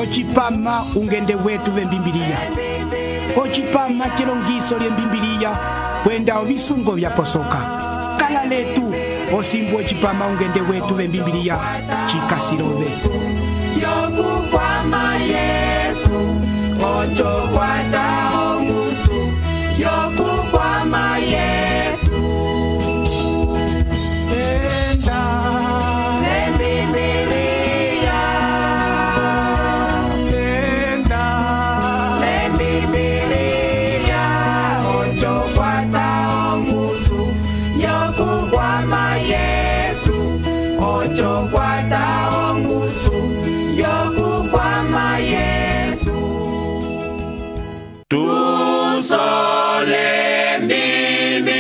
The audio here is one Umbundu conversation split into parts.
Ochipama ungende wetu vembimbilia. Ochipama chilongiso lyembimbilia kwenda ovisungo vyaposoka. Kala letu osimbu ochipama ungende wetu vembimbilia chikasilove. Yokukwama Yesu ochokwata omusu. Yokukwama Yesu enda lembibilia. Enda lembibilia ochokwata omusu. Yokukwama Yesu ochokwata omusu. Yokukwama Yesu tusole mbibilia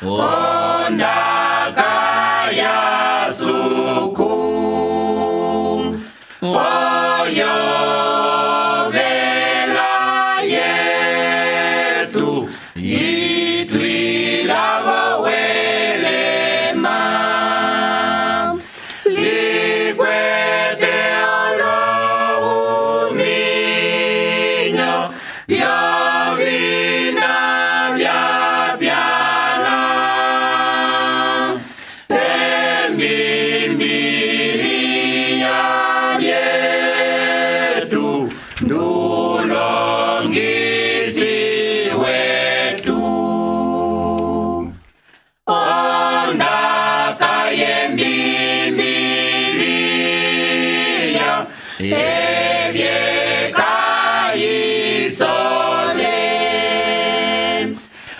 ondaka ya suku oyo vela yetu itwilavo welema likwete olohuminyo vyovina vyapyana embimbilia yetu ndulongisi wetu ondaka yembimbilia evyekayisole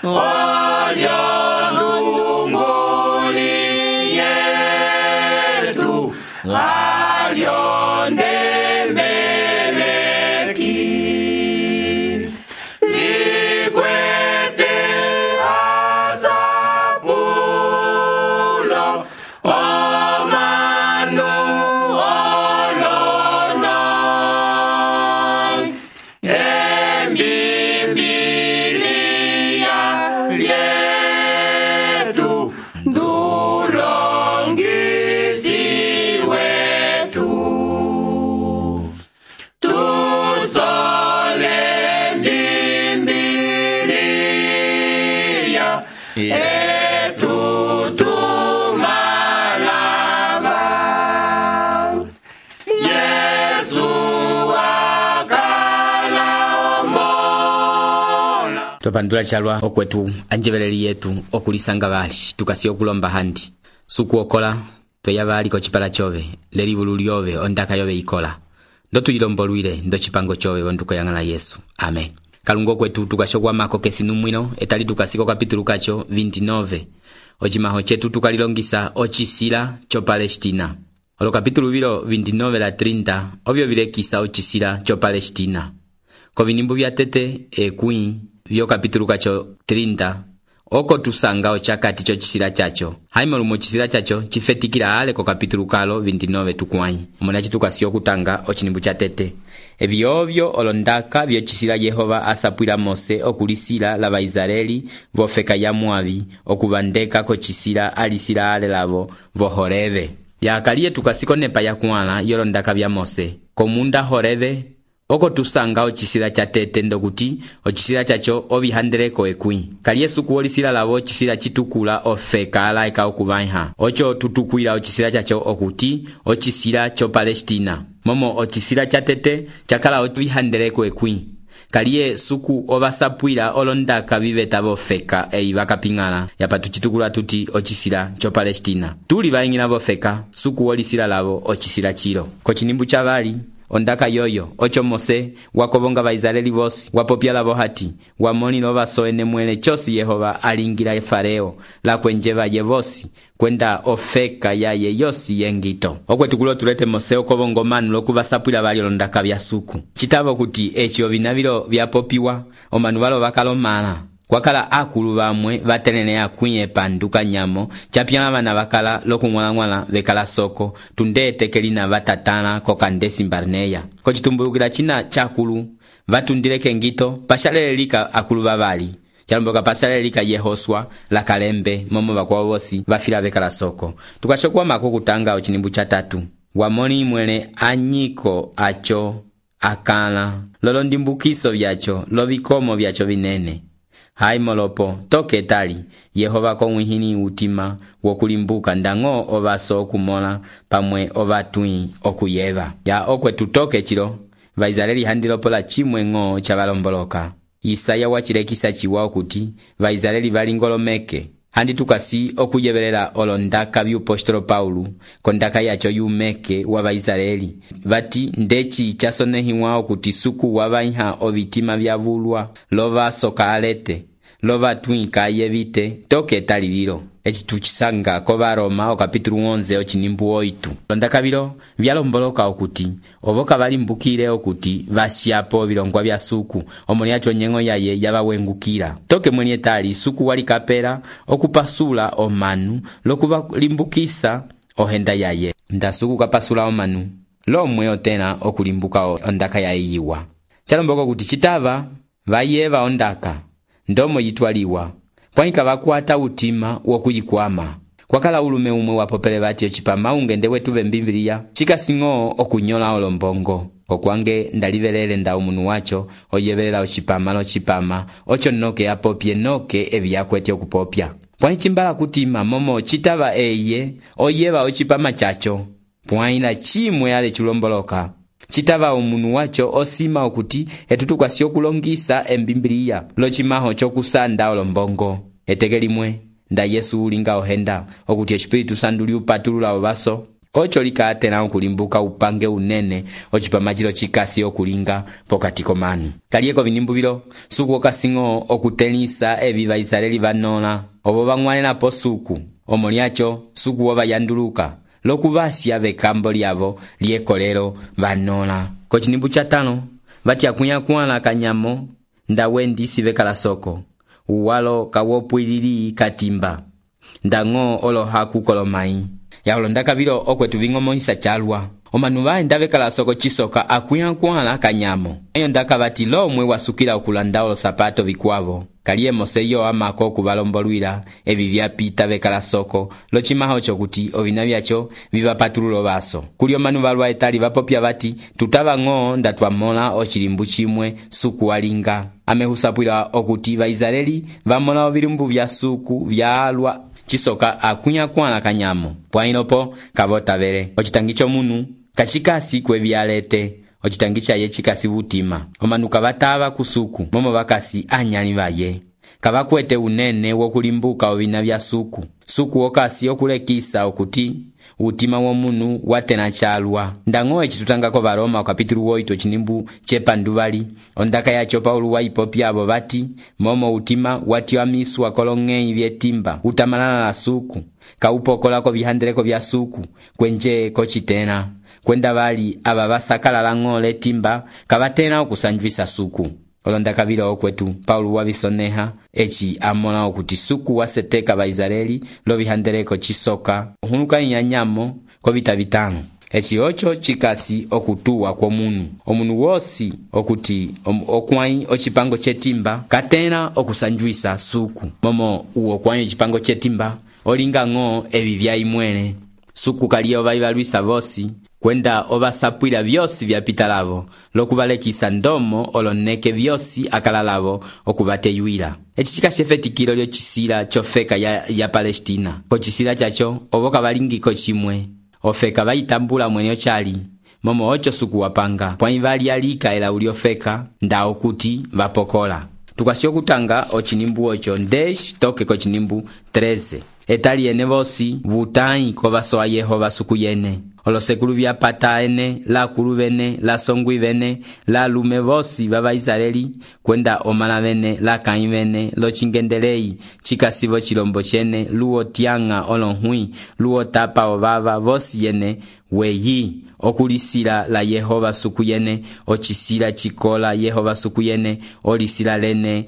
olyondunguli yetu alyondemeleki likwete asapulo omanu olonoi embimbilia lyetu ndulongisi wetu tusole mbimbilia etutumalava Yesu akala omola. Topandula chalwa okwetu anjeveleli yetu okulisanga bali tukasi okulomba handi suku okola toyabali ko chipala chove lelivulu lyove ondaka yove ikola ndo tuyilombolwile ndo chipango chove onduko yangala Yesu amen. Kalungo kwetu tukashogwa mako kesinumwino etali tukasiko kapitulu kacho 29 ochimaho chetu tukalilongisa ochisila cho Palestina olo kapitulu vilo 29 la 30 ovyo vilekisa ochisila cho Palestina ko vinimbu vya tete ekui vyo kapitulu kacho 30 oko tusanga ochakati cho chisila chacho haimolu mo chisila chacho chifetikila ale ko kapitulu kalo 29 tukwanyi omonachi tukasiyo kutanga ochinimbu cha tete evyovyo olondaka vyo chisila Yehova asapwila Mose okulisila la Baisraeli vofeka ya Moabi okuvandeka ko chisila alisila ale lavo vohoreve yakaliye tukasiko nepa ya kuala yolondaka vya Mose komunda horeve oko tusanga ochisila cha tete ndokuti ochisila chacho ovihandeleko ekwi kali Yesu kuolisila lavo ochisila chitukula ofeka alaika okuvaiha ocho tutukwila ochisila chacho okuti ochisila cho Palestina momo ochisila cha tete chakala ovihandeleko ekwi kaliye suku ovasapwila olondaka viveta vofeka eivakapingala yapatu chitukula tuti ochisila cho Palestina tuli vaingila vofeka suku olisila lavo ochisila chilo kochinimbu cha vali ondaka yoyo ocho Mose wakobonga Baisraeli vosi wapopyala vohati wamonilo vasoene mwele chosi Yehova alingila Fareo la kwenjeva yevosi kwenda ofeka yaye yosi yengito okwetukulo tulete Mose okobongo manu lokuvasapwila vali ondaka vya suku chitavo kuti echi ovinavilo vyapopiwa omanu valo vakalomala kwakala akulu vamwe vatelene akwiye panduka nyamo chapyala vana vakala lokungwala vekala soko tundete kelina vatatana kokandesi Barneya kochitumbulukila china chakulu vatundileke ngito pashalelelika akulu vavali chalomboka pashalelelika Yehoswa la kalembe momo vakwa vosi vafila vekala soko tukashokwa mako kutanga ochinimbu cha tatu wamoni mwele anyiko acho akala lolo ndimbukiso vyacho lovikomo vyacho vinene. Hai molopo toke tali Yehova komwihini utima wokulimbuka ndang'o ovaso okumola pamwe ovatui okuyeva. Ya okwetu toke chilo Vaisraeli handilopola chimwe ng'o chavalomboloka. Isaya wachilekisa chiwa okuti Vaisraeli valingolomeke. Handi tukasi okuyevelela olondaka vyupostolo Paulo kondaka yacho yumeke wa Vaisraeli. Vati ndechi chasonehiwa okuti suku wavaiha ovitima vyavulwa lova soka alete lova twinka yevite toke talililo. Echi tuchisanga kova Roma okapitulu 11 ochinimbu 8. Londaka vilo vyalomboloka okuti ovoka valimbukile okuti vasyapo vilongwa vya suku omoni yacho nyengo yaye yavawengukila. Toke mwenye tali suku walikapela okupasula omanu lokuvalimbukisa ohenda yaye. Nda suku kapasula omanu lomwe otena okulimbuka ondaka yaye yiwa. Chalomboko kuti chitava vayeva ondaka ndomo yitwaliwa pwanika vakuata utima wokuyikwama. Kwakala ulume umwe wapopele vati ochipama ungende wetu vembimbiliya chikasing'o okunyola olombongo. Okwange ndalivelele nda umunu wacho oyevelela ochipama lochipama ocho noke apopye noke eviyakwete okupopya. Pwani chimbala kutima momo chitava eye oyeva ochipama chacho pwaina chimwe ale chulomboloka. Chitava umunu wacho osima okuti etutukwasi okulongisa embimbiliya lochimaho chokusanda olombongo. Etegelimwe nda Yesu ulinga ohenda okuti Espiritu Santu liupatulula ovaso ocho likatena okulimbuka upange unene ochipama chilo chikasi okulinga pokati komanu. Kalieko vinimbu vilo suku okasing'o okutelisa evi Vaisraeli vanola obo vang'walela po suku omoni yacho suku wovayanduluka lokuvasya vekambo lyavo liekolelo vanola. Kochinimbu cha 5 vatyakuyakuala kanyamo ndawendisi vekala soko uwalo kawopwilili katimba ndang'o olohaku kolomai. Yaolondaka vilo okwetu ving'omohisa chalwa omanu vaenda vekala soko chisoka akuyakuala kanyamo. Eyo ndaka vati lomwe wasukila okulanda olosapato vikwavo. Kaliye Moseyo amako okuvalombolwila evi vyapita vekala soko lochimaho chokuti ovina vyacho vivapatululo vaso. Kuli omanu valwa etali vapopya vati tutava ng'o ndatwamola ochilimbu chimwe suku walinga. Amehusapwila okuti Vaisraeli vamola ovilimbu vya suku vyalwa chisoka akuyakuala kanyamo. Pwainopo kavotavele ochitangi chomunu kachikasi kwevyalete ochitangi chaye chikasi vutima. Omanu kavatava kusuku momo vakasi anyali vaye kavakwete unene wokulimbuka ovina vya suku. Suku okasi okulekisa okuti utima womunu watena chalwa. Ndang'o echitutangako Varoma okapitulu 8 ochinimbu chepanduvali ondaka yacho Paulo waipopya avo vati momo utima watyamiswa kolong'ei vyetimba utamalala la suku kaupokolako vihandeleko vya suku kwenje kochitena kwenda vali ava vasakalala ng'o letimba kavatena okusanjwisa suku. Olondaka vilo okwetu Paulo wavisoneha echi amola okuti suku waseteka Vaisraeli lovihandeleko chisoka hunuka inyanyamo kovita vitano. Echi ocho chikasi okutuwa kwa omunu wosi okuti okwai ochipango chetimba katena okusanjwisa suku momo uo kwai ochipango chetimba olinga ng'o evi vyaimwele. Suku kaliye ovaivalwisa vosi kwenda ovasapwila vyosi vyapita lavo lokuvalekisa ndomo oloneke vyosi akala lavo okuvateyuila. Echi chikasi efetikilo lyochisila chofeka ya Palestina. Kochisila chacho ovoka valingiko chimwe ofeka vaitambula mwene ochali momo ocho suku wapanga pwani vali alika ela uliofeka nda okuti vapokola. Tukasi okutanga ochinimbu ocho ndesh toke kochinimbu 13 etali ene vosi vutai kovasoa Yehova suku yene olosekulu vyapata ene la kulu vene la songwi vene la lume vosi va Vaisraeli kwenda omala vene la kai vene lochingendelei chikasivo chilombo chene luo tianga olonhui luo tapa ovava vosi yene weyi okulisila la Yehova suku yene ochisila chikola Yehova suku yene olisila lene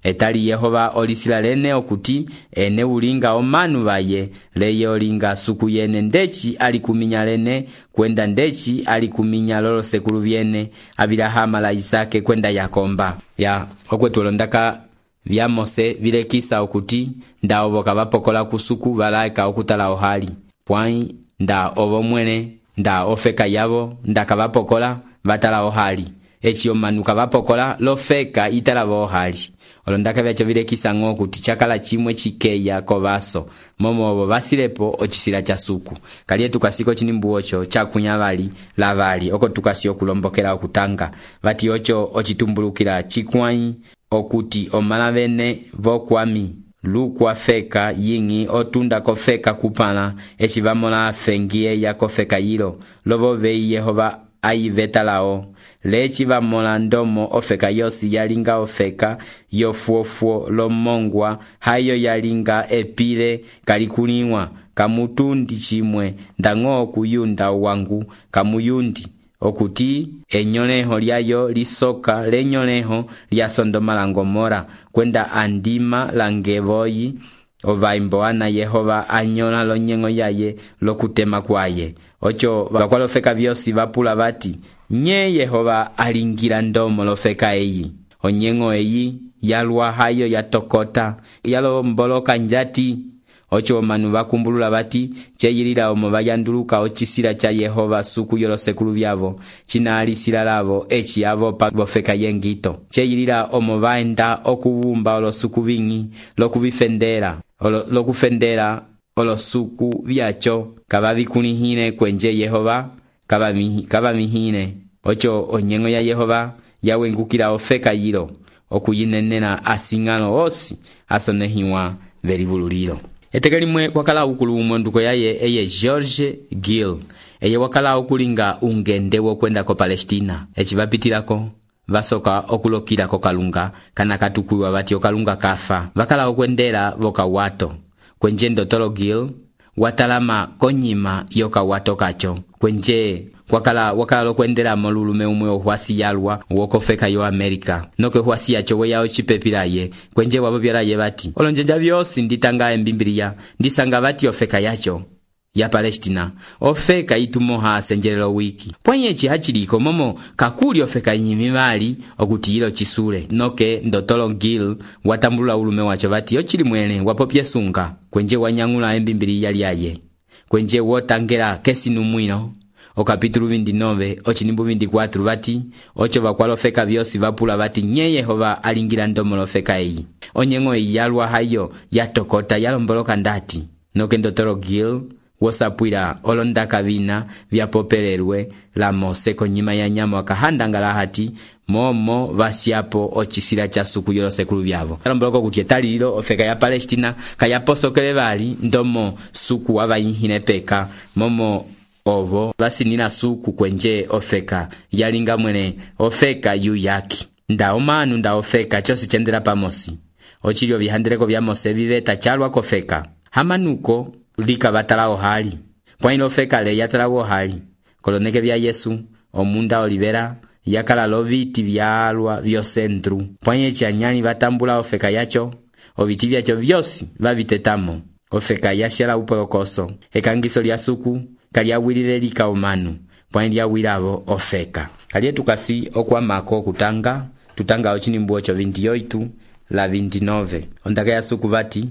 etali Yehova olisila lene okuti ene ulinga omanu vaye leye olinga suku yene ndechi alikuminya lene kwenda ndechi alikuminya lolo sekulu vyene Abilahama la Isake kwenda Yakomba. Ya okwetu olondaka vya Mose vilekisa okuti ndaovoka vapokola kusuku valaika okutala ohali pwai nda ovo mwene nda ofeka yavo nda kavapokola vatala ohali eci omanu kavapokola lofeka italava ohali olo ndaka vyacho vilekisa ng'o kuti chakala chimwe chikeya kovaso momo ovo vasilepo ocisila cha suku kaliye tukasika ocinimbu ocho chakunya vali lavali oko tukasi okulombokela okutanga vati ocho ocitumbulukila chikwai okuti omala vene vokwami lukwa feka yingi otunda kofeka kupala eci vamola fengie ya kofeka yilo lovo vei Yehova aivetalao lechi vamola ndomo ofeka yosi yalinga ofeka yofuofuo lomongwa hayo yalinga epile kalikuliwa kamutundi chimwe ndang'o kuyunda wangu kamuyundi okuti enyoleho lyayo lisoka lenyoleho lya Sodoma la Gomora kwenda andima langevoyi ovaimboana Yehova anyola lonyengo yaye lokutema kwaye ocho vakwalofeka vyosi vapula vati nye Yehova alingira ndomo lofeka eyi onyengo eyi yalwa hayo yatokota yalomboloka njati ocho omanu vakumbulula vati cheyilila omo vayanduluka ocisila cha Yehova suku yolosekulu vyavo chinalisila lavo eci yavo pa vofeka yengito cheyilila omo vaenda okuvumba olosuku vingi lokufendela olosuku vyacho kavavikulihile kwenje Yehova kavamihile ocho onyengo ya Yehova yawengukila ofeka yilo okuyinenela asing'alo osi asonehiwa velivululilo eteke limwe wakala ukulu umonduko yaye eye George Gill eye wakala ukulinga ungende wokwenda ko Palestina eci vapitilako vasoka okulokila ko kalunga kana katukuwa vati okalunga kafa vakala okwendela vokawato kwenje Dr. Gill watalama konyima yokawato kacho kwenje wakala lokwendela molulume umwe ohwasi yalwa wokofeka yo Amerika noke hwasi yacho weya ochipepilaye kwenje wabobyalaye bati olonjenja byosi nditanga embimbiliya ndisanga bati ofeka yacho ya Palestina ofeka itumoha senjelelo wiki pwenyechi hachiliko momo kakuli ofeka nyimimali okuti ilo chisule noke Dr. Gill watambula ulume wacho bati ochili mwene wapopye sunga kwenje wanyangula embimbiliya lyaye kwenje wotangela kesi numwino o kapitulu 29 ochinimbu 24 vati ocho vakwalofeka vyosi vapula vati nye Yehova alingira ndomo lofeka eyi onyengo eyi yalwa hayo yatokota yalomboloka ndati noke Dr. Gill wosapwila olondaka vina vyapopelelwe la Mose konyima ya nyama wakahandangala hati momo vasyapo ocisila cha suku yolosekulu vyavo alomboloko kuti etalililo ofeka ya Palestina kayaposokele vali ndomo suku wavayihine peka momo ovo vasinina suku kwenje ofeka yalinga mwene ofeka yuyaki nda omanu nda ofeka chosi chendela pamosi ochilio vihandeleko vya Mose viveta chalwa kofeka hamanuko lika batala ohali pwailo ofeka le yatala ohali koloneke vya Yesu omunda olivera yakala loviti vyalwa vyosentru pwanye chanyani vatambula ofeka yacho oviti vyacho vyosi vavitetamo ofeka yashela upolokoso ekangiso lya suku kalyawilile lika omanu pwani lyawilavo ofeka kaliye tukasi okwamako tutanga ochinimbu ocho 28 la 29 ondaka ya suku vati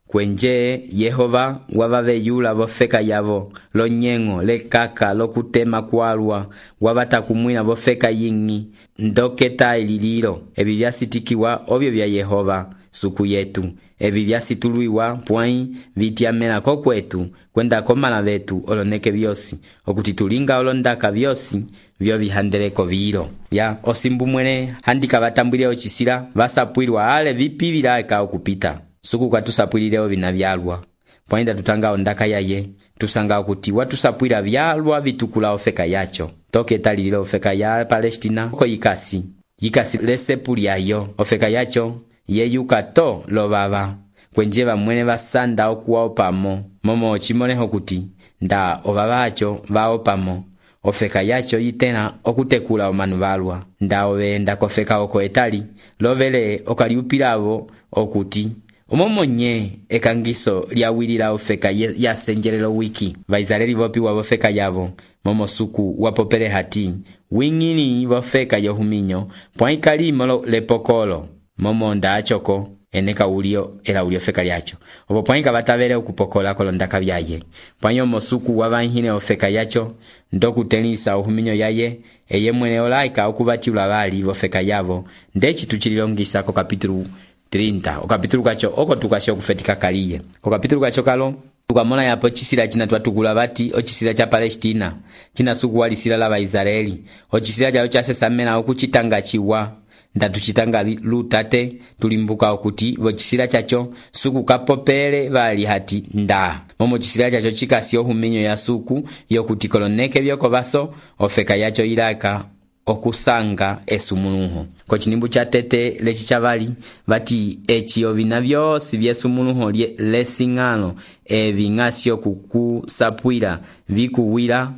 kwenje Yehova wavaveyula vofeka yavo lonyengo lekaka lokutema kwalwa wavatakumwila vofeka yingi ndoketa ilililo evi vyasitikiwa ovyo vya Yehova suku yetu evi vyasituluiwa pwai vityamela kokwetu kwenda komala vetu oloneke vyosi okuti tulinga olondaka vyosi vyo vihandeleko vilo ya osimbu mwene handika vatambwile ocisila vasapwilwa ale vipi vilaka okupita suku katusapwilileo vina vyalwa pwainda tutanga ondaka yaye tusanga okuti watusapwila vyalwa vitukula ofeka yacho toke talililo ofeka ya Palestina oko yikasi lesepuli yayo ofeka yacho yeyuka to lovava kwenje vamwene vasanda okuwa opamo momo ochimoleho kuti nda ovavacho vaopamo ofeka yacho yitena okutekula omanu valwa nda ovenda kofeka oko etali lovele okaliupilavo okuti omomonye ekangiso lyawilila ofeka yasenjelelo wiki vaisraeli vopiwa vofeka yavo momo suku wapopele hati wingini vofeka yohuminyo pwaikalimo lepokolo momo nda achoko eneka ulio era ulio feka lyacho opo pwainga batavele okupokola kolondaka byaye pwanyo mosuku wabanhine ofeka yacho ndokutenisa ohuminyo yaye eye mwene olaika okubatiula bali bofeka yavo ndechi tuchililongisa ko kapitulu 30 okapitulu kacho oko tukasho kufetika kaliye ko kapitulu kacho kalo tukamona yapo chisila china twatukula bati ochisila cha Palestina china suku walisila la Baisraeli ochisila chalo chasesamena okuchitanga chiwa ndatuchitanga lutate tulimbuka okuti vochisila chacho suku kapopele bali hati nda momo chisila chacho chikasio huminyo ya suku yokuti koloneke byoko baso ofeka yacho ilaka okusanga esumuluho ko chinimbu cha tete lechi chavali bati echiyo bina byosi byesumuluho lesingano ebingasio kukusapwira bikuwira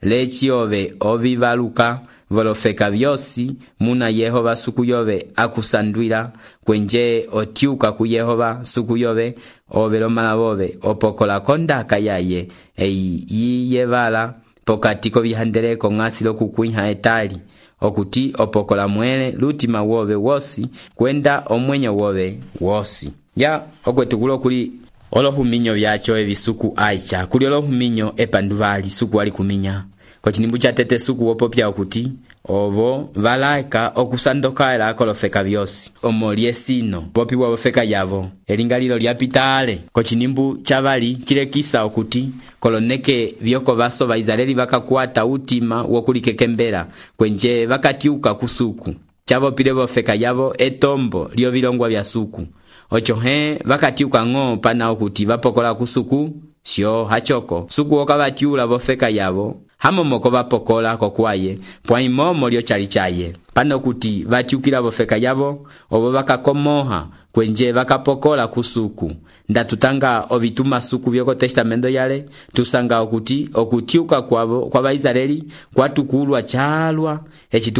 lechi ove ovivaluka volofeka byosi muna Yehova suku yove akusandwira kwenje otiuka ku Yehova suku yove ovelomala bove opokola kondaka yaye yiyebala pokatiko bihandeleko ngasilo kukuiha etali okuti opokola mwele lutima wove wosi kwenda omwenyo wove wosi ya okwetukulo kuli olohuminyo byacho ebisuku aicha kuli olohuminyo epanduvali suku wali kuminya ko chinimbu cha tete suku wopopya okuti ovo valaika okusandoka era kolofeka byosi omoliesino popi wofeka yavo elingalilo lyapitale ko chinimbu chavali chilekisa okuti koloneke byoko baso Baisraeli bakakwata utima wokulikekembera kwenje bakatiuka kusuku chavo pile bofeka yavo etombo lyo bilongwa bya suku ochohe bakatiuka ngo pana okuti bapokola kusuku sio hachoko suku okabatiula bofeka yavo hamo moko bapokola kokwaye pwaimomo lyo chali chaye pano kuti batiukila bofeka yavo obo bakakomoha kwenje bakapokola kusuku ndatutanga ovituma suku byoko testamento yale tusanga okuti okutiuka kwabo kwa Baisraeli kwatukulwa chalwa echi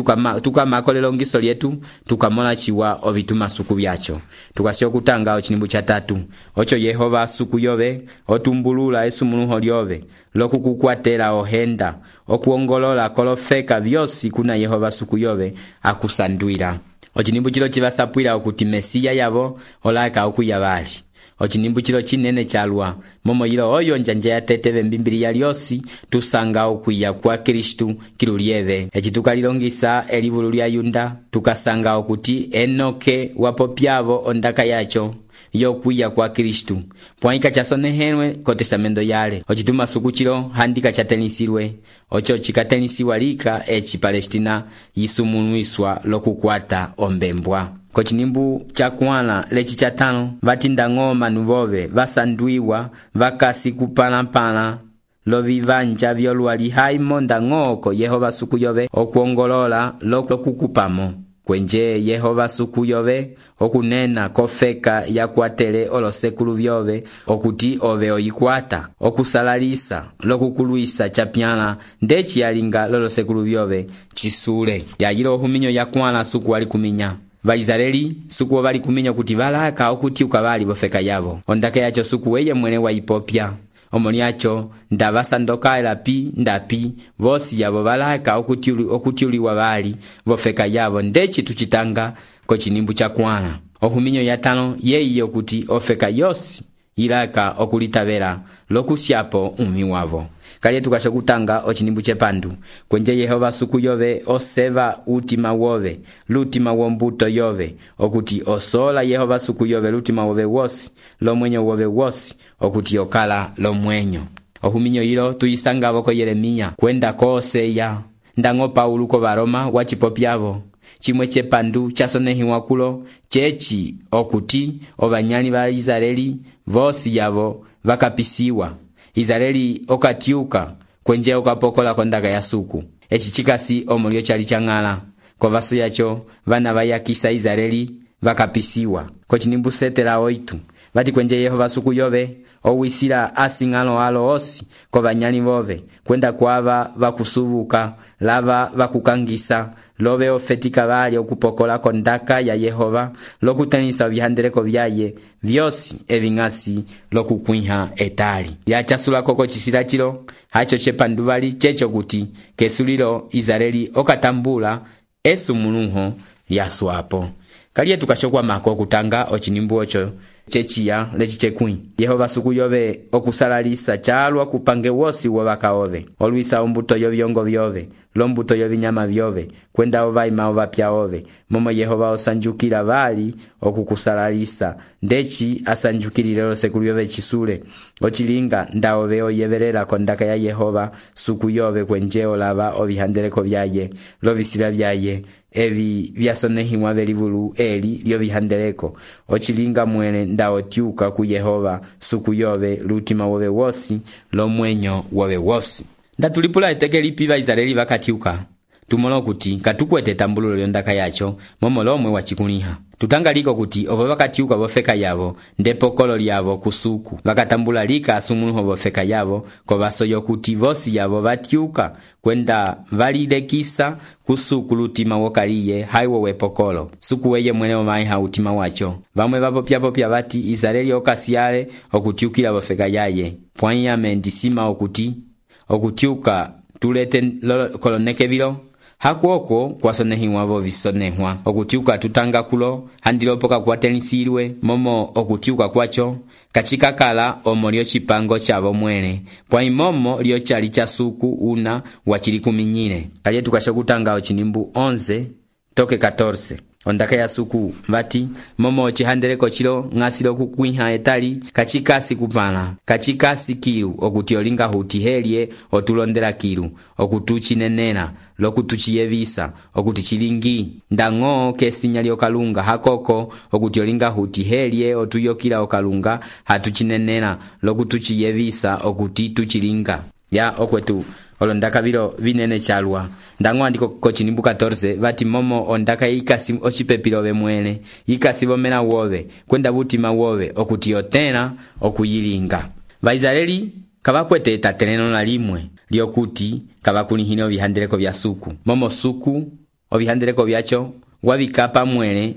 tukamakolelo ngiso lyetu tukamona chiwa ovituma suku byacho tukasio kutanga ochinimbu cha tatu ocho Yehova suku yove otumbulula esumuluho lyove lokukukwatela ohenda okuongolola kolofeka byosi kuna Yehova suku yove akusandwira ochinimbu chilo chibasapwila okuti Mesiya yavo olaika okuyabali ochinimbu chilo chinene chalwa momo yilo oyo njanja ya teteve mbimbiliya lyosi tusanga okuya kwa Kristu kilulieve echi tukalilongisa elivulu lya Yunda tukasanga okuti Enoke wapopyavo ondaka yacho yokuya kwa Kristu pwaika chasonehenwe ko testamento yale ochituma suku chilo handika chatenisirwe ocho chikatenisiwa lika echi Palestina yisumunuiswa lokukwata ombembwa ko chinimbu cha kwana lechi cha tano vatinda ngoma nuvove vasandwiwa vakasi kupalampala lovivanja vyolwali haimonda ngoko Yehova suku yove okuongolola lokukupamo kwenje Yehova suku yove okunena kofeka yakwatele olosekulu byove okuti ove oyikwata okusalalisa lokukuluisa chapyala ndechi yalinga lolosekulu byove chisule yayilo ohuminyo yakwana suku wali kuminya Baisraeli suku bali kuminya kuti balaka okutiuka bali bofeka yavo ondaka yacho suku weye mwene wa ipopya omoniacho ndabasandoka elapi ndapi vosi yavo balaka okutiuliwa bali bofeka yavo ndechi tuchitanga ko chinimbu cha kwana ohuminyo ya tano yeiyo kuti ofeka yosi ilaka okulitabela lokusyapo umi wavo kali tukasha kutanga ochinimbu chepandu kwenje Yehova suku yove oseva utima wove lutima wombuto yove okuti osola Yehova suku yove lutima wove wosi lomwenyo wove wosi okuti okala lomwenyo ohuminyo yilo tuyisanga boko Yeremia kwenda koseya ndango Paulo ko Baroma wachipopyavo chimwe chepandu chasonehiwa kulo chechi okuti obanyali ba Israeli vosi yavo vakapisiwa Israeli okatiuka kwenje okapokola kondaka ya suku echi chikasi omulio chali changala kwa vaso yacho vana bayakisa Israeli vakapisiwa ko chinimbu setela oitu vati kwenje Yehova suku yove owisila asingalo alo osi ko banyali bove kwenda kwava vakusubuka lava vakukangisa love ofetika bali okupokola kondaka ya Yehova lokutenisa bihandeleko byaye byosi ebingasi lokukuiha etali yachasula koko chisila chilo hacho chepanduvali checho kuti kesulilo Israeli okatambula esumuluho lyaswapo kaliye tukashokwamako okutanga ocinimbu oco ceciya leci cekwĩ. Yehova suku yove okusalalisa calwa kupange wosi wovaka ove, olwisa ombuto yovyongo vyove, lombuto yovinyama vyove, kwenda ovaima ovapya ove, momo Yehova osanjukila vali okukusalalisa, ndeci asanjukilile losekulu yove cisule, ocilinga nda ove oyevelela kondaka ya Yehova suku yove kwenje olava ovihandeleko vyaye, lovisila vyaye, evi vyasonehiwa velivulu eli lyovihandeleko, ocilinga mwene nda otyuka ku Yehova suku yove lutima wove wosi, lomwenyo wove wosi. Nda tulipula eteke lipi Vaisraeli vakatyuka, tumolo kuti katukwete tambululo lyondaka yacho momo lomwe wachikuliha. Tutangaliko kuti ovo vakatyuka vofeka yavo ndepokolo lyavo kusuku, vakatambula lika asumuluho vofeka yavo kovaso yokuti vosi yavo vatyuka kwenda valilekisa kusuku lutima wokaliye haiwo wepokolo. Suku weye mwene omaiha utima wacho. Vamwe vapopya vati Israeli okasyale okutyukila vofeka yaye. Pwanyame ndisima okutyuka tulete koloneke vilo. Hakuoko kwasonehiwa vo visonehwa, okutyuka tutanga kulo handilopoka kuwatenisirwe momo okutyuka kwacho kachikakala omo lyo chipango chavo mwene, pwai momo lyo chali cha suku una wachili kuminyile. Kaliye tukashokutanga ocinimbu 11 toke 14. Ondaka ya suku vati momo ocihandeleko chilo ng'asilo kukwiha etali kachikasi kupala, kachikasi kilu okuti olinga huti helye otulondela kilu, okutuchinenela lokutuchiyevisa, okuti chilingi ndang'o kesinya lyokalunga hakoko, okuti olinga huti helye otuyokila okalunga hatuchinenela lokutuchiyevisa, okuti tuchilinga. Ya okwetu olondaka vilo vinene chalwa. Ndang'o andiko kocinimbu 14 vati momo ondaka yikasi ocipepilove mwene, yikasi vomena wove, kwenda vutima wove okuti yotena okuyilinga. Vaisraeli kavakwete etateleno na limwe lyokuti kavakulihine ovihandeleko vya suku. Momo suku ovihandeleko vyacho wavikapa mwene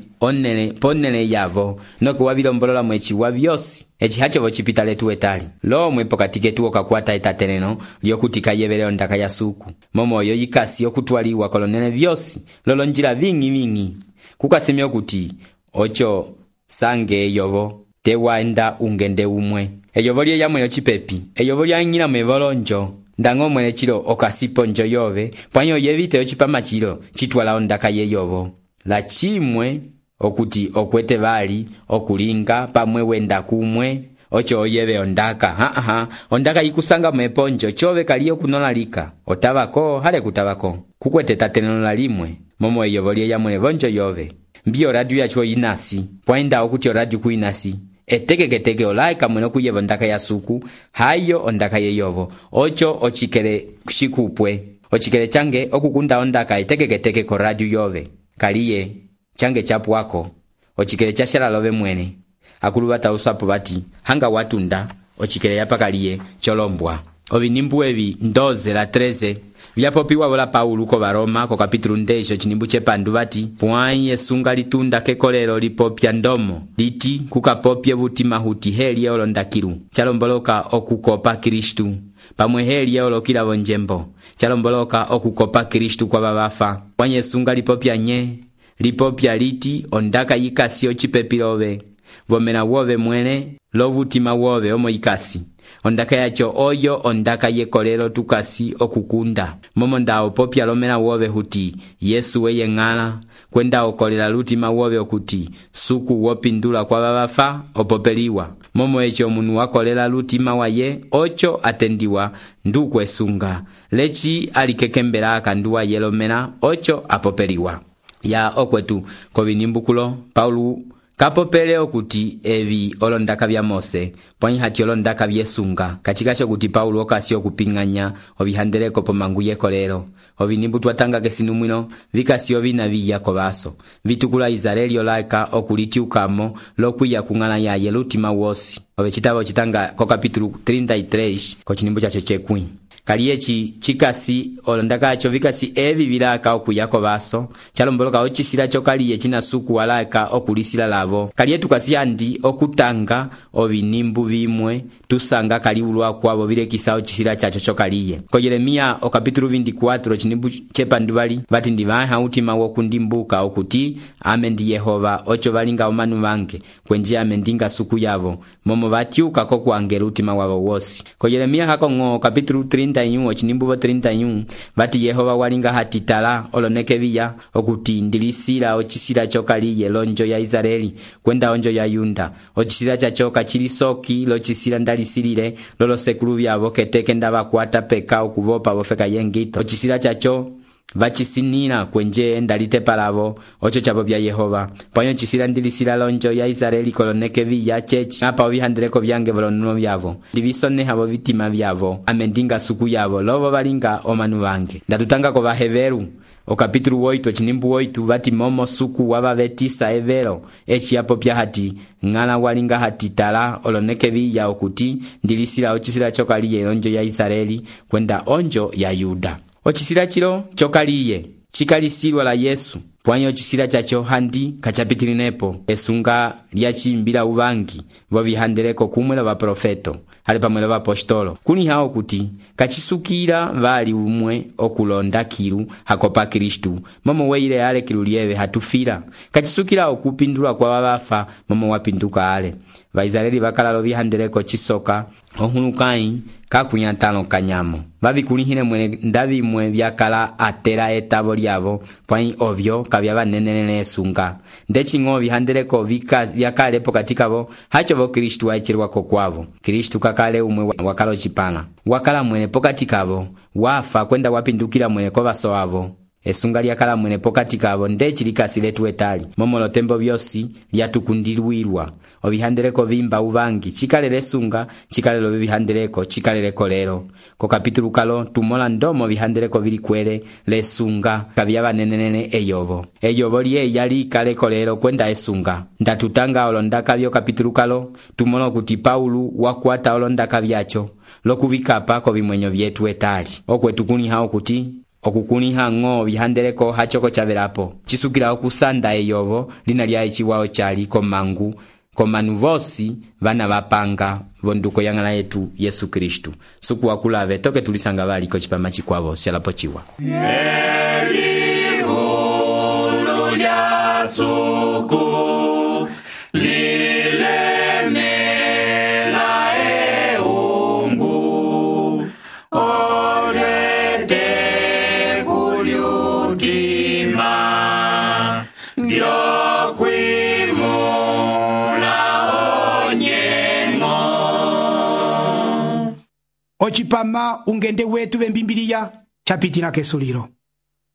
ponele yavo noku wavilombolola mwechiwa vyosi eci hacho vocipita letu etali lomwe pokati ketu okakwata etateleno lyokuti kayevele ondaka ya suku. Momo oyo yikasi okutwaliwa kolonene vyosi lolonjila vingi kukasemya okuti ocho sange eyovo tewaenda ungende umwe, eyovo lye yamwe ocipepi, eyovo lyang'ila mevolonjo ndang'o mwene chilo okasiponjo yove pwanyo yevite ocipama chilo chitwala ondaka yeyovo. La chimwe okuti okwete vali okulinga pamwe wenda kumwe ocho oyeve ondaka ondaka yikusanga meponjo chove kaliyo kunolalika otavako hale kutavako kukwete tateneno la limwe momo eyovo lye yamwe vonjo yove mbio radio yacho inasi pwaenda okuti radio kuinasi etekeketeke olaika mwene kuyeva ondaka ya suku hayo ondaka yeyovo ocho ochikele chikupwe ochikele change okukunda ondaka etekeketeke ko radio yove kaliye change chapwako ochikele chashala love mwene akulu batausapo bati hanga watunda ochikele yapakaliye cholombwa. Ovinimbu evi 12 la 13 vyapopiwa vola Paulo ko Baroma ko kapitulu 10 cinimbu chepandu vati pwai yesunga litunda kekolelo lipopya ndomo liti kukapopye vutima huti helye olondakilu chalomboloka okukopa Kristu pamwe helye olokila vonjembo chalomboloka okukopa Kristu kwa babafa pwai yesunga lipopya nye lipopya liti ondaka yikasi ocipepilove vomena wove mwene lovutima wove omo yikasi ondaka yacho oyo ondaka yekolelo tukasi okukunda momo ndao popya lomena wove huti Yesu weye ng'ala kwenda okolela lutima wove okuti suku wopindula kwa babafa opopeliwa momo echo munu wakolela lutima waye ocho atendiwa ndukwesunga lechi alikekembela akanduwa yelomena ocho apopeliwa. Ya okwetu kovinimbukulo Paulo kapopele okuti evi olondaka vya Mose pwanyi hati olondaka vyesunga kachikasho kuti Paulo okasi okupinganya ovihandeleko pomangu yekolelo ovinimbu twatanga kesinumwino vikasi ovina viyako baso vitukula Israeli olaika okulitiukamo lokwiya kung'ala yaye lutima wosi ove chitabo chitanga ko kapitulu 33 ko cinimbu chacho chekwĩ kaliye chikasi olondaka acho vikasi evi vilaka okuyako baso chalomboloka ocisila chokaliye china suku walaka okulisila lavo kaliye tukasi andi okutanga ovinimbu vimwe tusanga kaliulwa kwavo vilekisa ocisila chacho chokaliye ko Yeremia okapitulu 24 cinimbu chepanduvali vati ndivaha utima wokundimbuka okuti ame ndi Yehova ocho valinga omanu vange kwenje ame ndinga suku yavo momo vatyuka kokuangela utima wavo wosi ko Yeremia hakong'o kapitulu 31 cinimbu 31 vati Yehova walinga hatitala olonekeviya okuti ndilisila ocisila chokaliye lonjo ya Israeli kwenda onjo ya Yunda ocisila chachoka chilisoki locisila ndalisilile lolosekulu vyavo keteke ndavakwata peka okuvopa vofeka yengito ocisila chacho vacisinila kwenje ndalite palavo ocho chavo vya Yehova panyo cisila ndilisila lonjo ya Israeli kolonekeviya chechi apa ovihandeleko vyange volonuno vyavo ndivisoneha vo vitima vyavo ame ndinga suku yavo lovo valinga omanu vange ndatutanga ko Vaheveru okapitulu 8 cinimbu 8 vati momo suku wavavetisa evero echi yapo pya hati ngala walinga hatitala olonekeviya okuti ndilisila ocisila chokaliye lonjo ya Israeli kwenda onjo ya Yuda ocisila chilo chokaliye chikalisilwa la Yesu pwanyo ocisila chacho handi kachapitilinepo esunga lyachimbila uvangi vovihandeleko kumwe la vaprofeto hali pamwe la vapostolo kuni hao kuti kachisukila vali umwe okulonda kilu hakopa Kristu momo weile ale kilu lieve hatufila kachisukila okupindulwa kwa wabafa momo wapinduka ale Vaisraeli vakalalo vihandeleko chisoka ohulukai kakunyatano kanyamo vavikulihile mwene ndavimwe vyakala atela etavo lyavo pwai ovyo kavya vanenenene esunga ndeching'o vihandeleko vyakalepo katikavo hacho vo Kristu waichilwako kwavo Kristu kakale umwe wakalo chipana wakala mwene pokati kavo wafa kwenda wapindukila mwene kovaso wavo esunga lyakala mwene pokati kavo ndechi likasiletu etali momolo tembo vyosi lyatukundilwilwa ovihandeleko vimba uvangi chikalele sunga chikalelo vihandeleko chikaleleko lero ko kapitulu kalo tumola ndomo vihandeleko vilikwele lesunga kavyava nenenene eyovo liye yali kaleko lero kwenda esunga ndatutanga olondaka vyo kapitulu kalo tumola kuti Paulu wakwata olondaka vyacho lokuvikapa ko vimwenyo vyetu etali okwetukuni hao kuti okukuniha ng'o vihandeleko hachoko chavelapo chisukila okusanda eyovo lina lya echiwao chali komangu komanu vosi vana vapanga vonduko yang'ala yetu Yesu Kristu suku wakulave toke tulisanga valiko chipama chikwavo syalapo chiwa Elihulu lya suku lilemela eungu olete kuliutima vyokwimula onyengo ocipama ungende wetu vembimbiliya chapitila kesulilo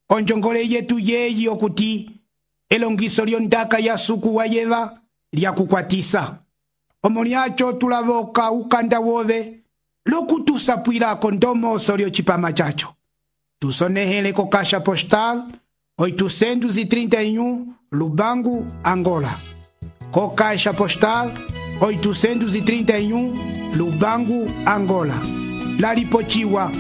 onjongole yetu yeyi okuti elongiso lyondaka ya suku wa yeva lyakukwatisa omo lyacho tulavoka ukanda wove lokutusapwilako ndomoso lyocipama chacho tusonehele ko Caixa Postal 831 Lubangu, Angola. Co Caixa Postal 831 Lubangu, Angola. Lalipochiwa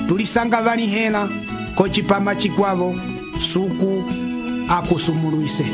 tulisanga vanihela ko chipama chikwavo suku akusumuluise.